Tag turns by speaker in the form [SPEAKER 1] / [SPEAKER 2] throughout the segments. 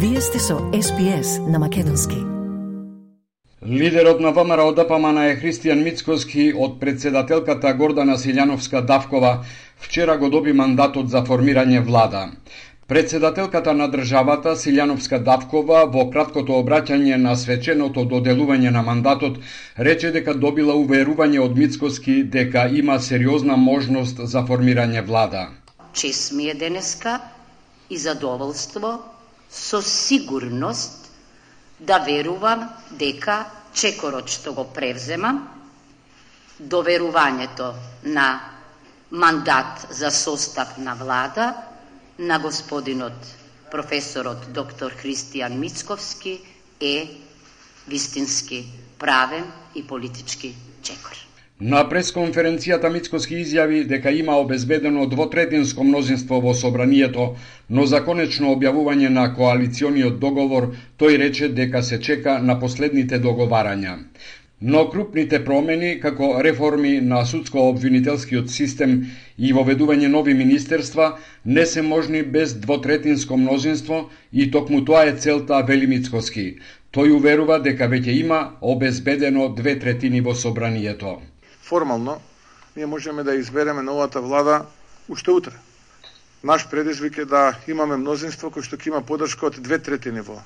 [SPEAKER 1] Вие сте со SPS на македонски.
[SPEAKER 2] Лидерот на ВМРО-ДПМН е Христијан Мицкоски од председателката Гордана Силјановска-Давкова вчера го доби мандатот за формирање влада. Председателката на државата Силјановска-Давкова во краткото обраќање на свеченото доделување на мандатот рече дека добила уверување од Мицкоски дека има сериозна можност за формирање влада.
[SPEAKER 3] Чест ми е денеска и задоволство со сигурност да верувам дека чекорот што го превземам, доверувањето на мандат за состав на влада на господинот професорот доктор Христијан Мицковски е вистински правен и политички чекор.
[SPEAKER 2] На пресконференцијата Мицкоски изјави дека има обезбедено двотретинско мнозинство во собранието, но за конечно објавување на коалициониот договор тој рече дека се чека на последните договарања. Но крупните промени, како реформи на судско-обвинителскиот систем и воведување нови министерства, не се можни без двотретинско мнозинство и токму тоа е целта, вели Мицкоски. Тој уверува дека веќе има обезбедено 2/3 во собранието.
[SPEAKER 4] Формално, ние можеме да избереме новата влада уште утре. Наш предизвик е да имаме мнозинство кој што ќе има поддршка од 2/3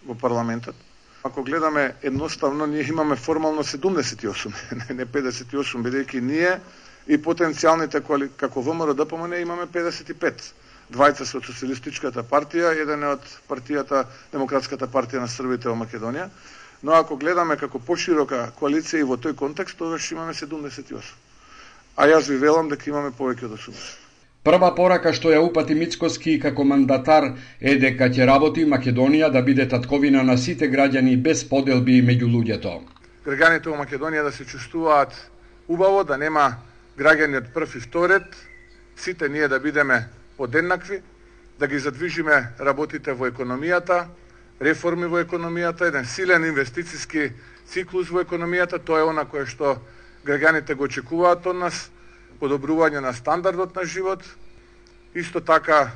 [SPEAKER 4] во парламентот. Ако гледаме едноставно, ние имаме формално 78, не 58, бидејќи ние и потенцијалните како ВМРО-ДПМН имаме 55. Двајца со Социјалистичката партија, еден од партијата, Демократската партија на Србите во Македонија. Но ако гледаме како поширока коалиција и во тој контекст, тогаш имаме 78. А јас ви велам дека имаме повеќе од 80.
[SPEAKER 2] Прва порака што ја упати Мицкоски како мандатар е дека ќе работи Македонија да биде татковина на сите граѓани без поделби меѓу луѓето.
[SPEAKER 4] Граѓаните во Македонија да се чувствуваат убаво, да нема граѓани од прв и вторет, сите ние да бидеме подеднакви, да ги задвижиме работите во економијата, реформи во економијата, еден силен инвестициски циклус во економијата, тоа е она кое што граѓаните го очекуваат од нас, подобрување на стандардот на живот, исто така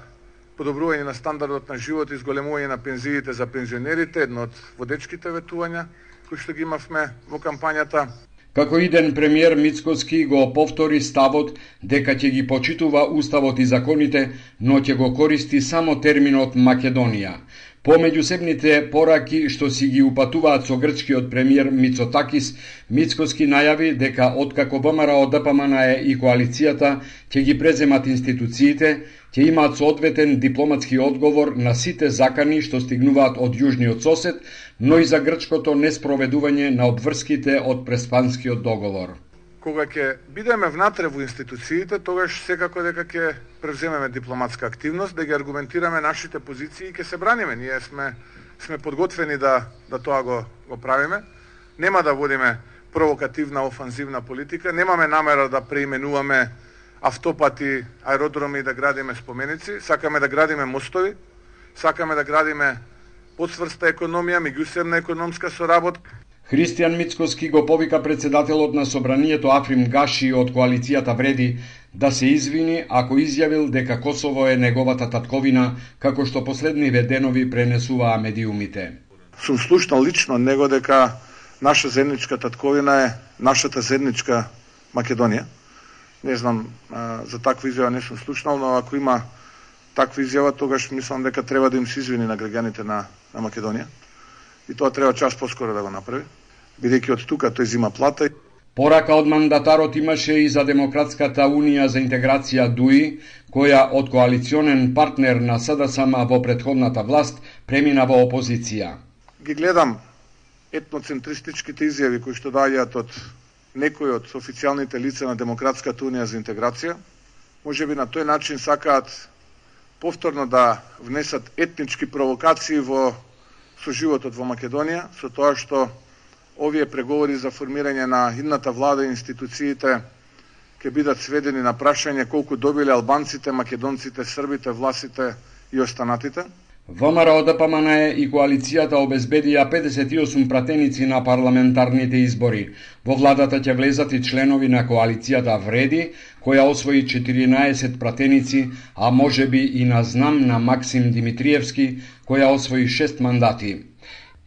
[SPEAKER 4] подобрување на стандардот на живот и зголемување на пензиите за пензионерите, едно од водечките ветувања кои што ги имавме во кампањата.
[SPEAKER 2] Како иден премиер Мицкоски го повтори ставот дека ќе ги почитува уставот и законите, но ќе го користи само терминот Македонија. По меѓусебните пораки што си ги упатуваат со грчкиот премиер Мицотакис, Мицкоски најави дека откако ВМРО-ДПМН и коалицијата ќе ги преземат институциите, ќе имаат соодветен дипломатски одговор на сите закани што стигнуваат од јужниот сосед, но и за грчкото неспроведување на обврските од Преспанскиот договор.
[SPEAKER 4] Кога ќе бидеме внатре во институциите, тогаш секако дека ќе превземеме дипломатска активност, да ги аргументираме нашите позиции и ќе се браниме. Ние сме подготвени да тоа го правиме. Нема да водиме провокативна, офанзивна политика, немаме намера да преименуваме автопати, аеродроми и да градиме споменици, сакаме да градиме мостови, сакаме да градиме подсврста економија, меѓусебна економска соработка.
[SPEAKER 2] Христијан Мицкоски го повика председателот на собранието Африм Гаши од коалицијата Вреди да се извини ако изјавил дека Косово е неговата татковина, како што последниве денови пренесуваа медиумите.
[SPEAKER 4] Сум слушнал лично од него дека наша заедничка татковина е нашата заедничка Македонија. Не знам, за таква изјава не сум слушнал, но ако има таква изјава, тогаш мислам дека треба да им се извини на граѓаните на Македонија. И тоа треба час поскоро да го направи, бидејќи од тука тој зима плата.
[SPEAKER 2] Порака од мандатарот имаше и за Демократската унија за интеграција ДУИ, која од коалиционен партнер на СДСМ во претходната власт премина во опозиција.
[SPEAKER 4] Ги гледам етноцентристичките изјави кои што доаѓаат од некои од официјалните лица на Демократската унија за интеграција. Можеби на тој начин сакаат повторно да внесат етнички провокации во животот во Македонија, со тоа што овие преговори за формирање на идната влада и институциите ќе бидат сведени на прашање колку добиле албанците, македонците, србите, власите и останатите.
[SPEAKER 2] ВМРО-ДПМНЕ и коалицијата обезбедија 58 пратеници на парламентарните избори. Во владата ќе влезат и членови на коалицијата Вреди, која освои 14 пратеници, а можеби и на знам на Максим Димитриевски, која освои 6 мандати.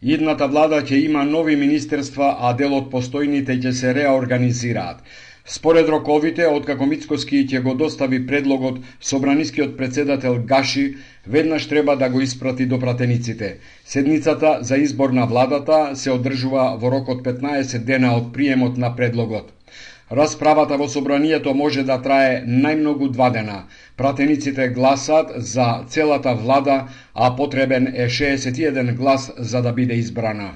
[SPEAKER 2] Идната влада ќе има нови министерства, а дел од постојните ќе се реорганизираат. Според роковите, откако Мицкоски ќе го достави предлогот, собранискиот председател Гаши веднаш треба да го испрати до пратениците. Седницата за избор на владата се одржува во рок од 15 дена од приемот на предлогот. Расправата во собранието може да трае најмногу 2 дена. Пратениците гласат за целата влада, а потребен е 61 глас за да биде избрана.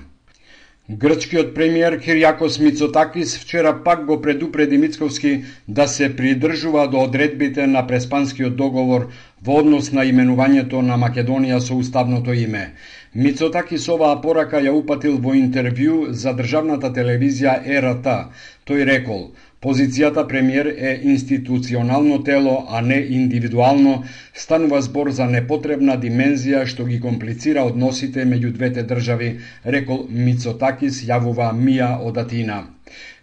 [SPEAKER 2] Грчкиот премиер Кириакос Мицотакис вчера пак го предупреди Мицковски да се придржува до одредбите на Преспанскиот договор во однос на именувањето на Македонија со уставното име. Мицотакис оваа порака ја упатил во интервју за државната телевизија ЕРТ. Тој рекол: позицијата премиер е институционално тело, а не индивидуално, станува збор за непотребна димензија што ги комплицира односите меѓу двете држави, рекол Мицотакис, јавува Мија од Атина.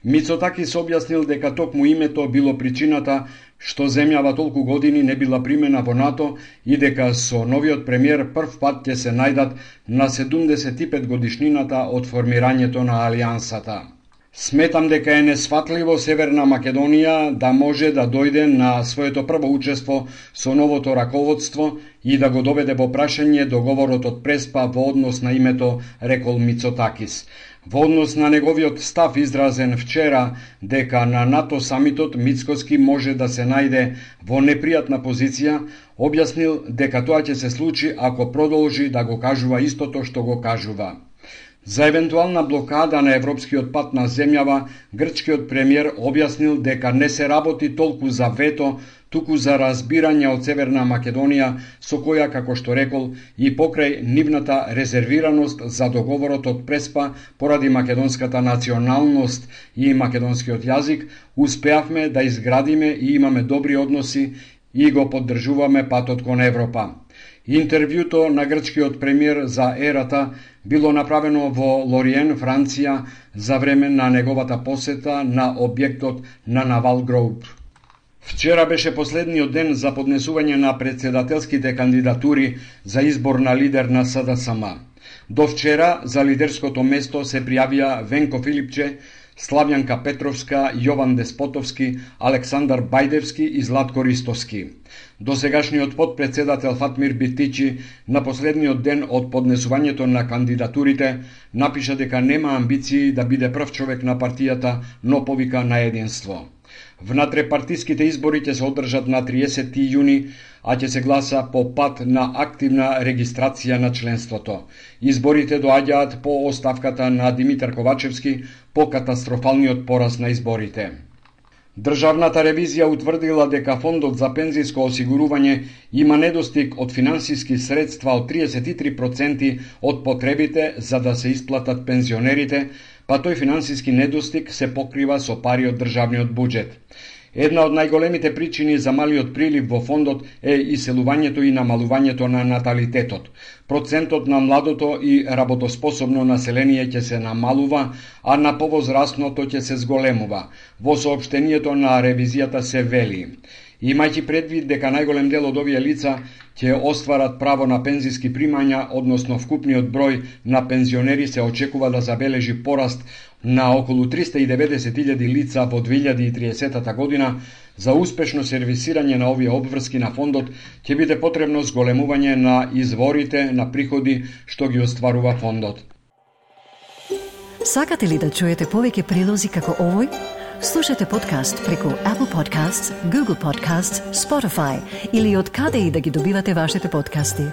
[SPEAKER 2] Мицотакис објаснил дека токму името било причината што земјава толку години не била примена во НАТО и дека со новиот премиер прв пат ќе се најдат на 75 годишнината од формирањето на Алијансата. Сметам дека е несфатливо Северна Македонија да може да дојде на своето прво учество со новото раководство и да го доведе во прашање договорот од Преспа во однос на името, рекол Мицотакис. Во однос на неговиот став изразен вчера дека на НАТО самитот Мицкоски може да се најде во непријатна позиција, објаснил дека тоа ќе се случи ако продолжи да го кажува истото што го кажува. За евентуална блокада на европскиот пат на земјава, грчкиот премиер објаснил дека не се работи толку за вето, туку за разбирање од Северна Македонија, со која, како што рекол, и покрај нивната резервираност за договорот од Преспа поради македонската националност и македонскиот јазик, успеавме да изградиме и имаме добри односи и го поддржуваме патот кон Европа. Интервјуто на грчкиот премиер за ЕРА било направено во Лориен, Франција, за време на неговата посета на објектот на Навал Гроуп. Вчера беше последниот ден за поднесување на председателските кандидатури за избор на лидер на СДСМ. До вчера за лидерското место се пријавија Венко Филипче, Славјанка Петровска, Јован Деспотовски, Александар Бајдевски и Златко Ристовски. Досегашниот подпредседател Фатмир Битичи на последниот ден од поднесувањето на кандидатурите напиша дека нема амбиции да биде прв човек на партијата, но повика на единство. Внатрепартиските избори ќе се одржат на 30 јуни, а ќе се гласа по пат на активна регистрација на членството. Изборите доаѓаат по оставката на Димитар Ковачевски по катастрофалниот пораз на изборите. Државната ревизија утврдила дека фондот за пензиско осигурување има недостиг од финансиски средства од 33% од потребите за да се исплатат пензионерите, па тој финансиски недостиг се покрива со пари од државниот буџет. Една од најголемите причини за малиот прилив во фондот е иселувањето и намалувањето на наталитетот. Процентот на младото и работоспособно население ќе се намалува, а на повозрастното ќе се зголемува. Во соопштението на ревизијата се вели: имајќи предвид дека најголем дел од овие лица ќе остварат право на пензиски примања, односно вкупниот број на пензионери се очекува да забележи пораст на околу 390.000 лица во 2030 година, за успешно сервисирање на овие обврски на фондот ќе биде потребно зголемување на изворите на приходи што ги остварува фондот.
[SPEAKER 1] Сакате ли да чуете повеќе прилози како овој? Слушате подкаст преку Apple Podcasts, Google Podcasts, Spotify или од каде и да ги добивате вашите подкасти.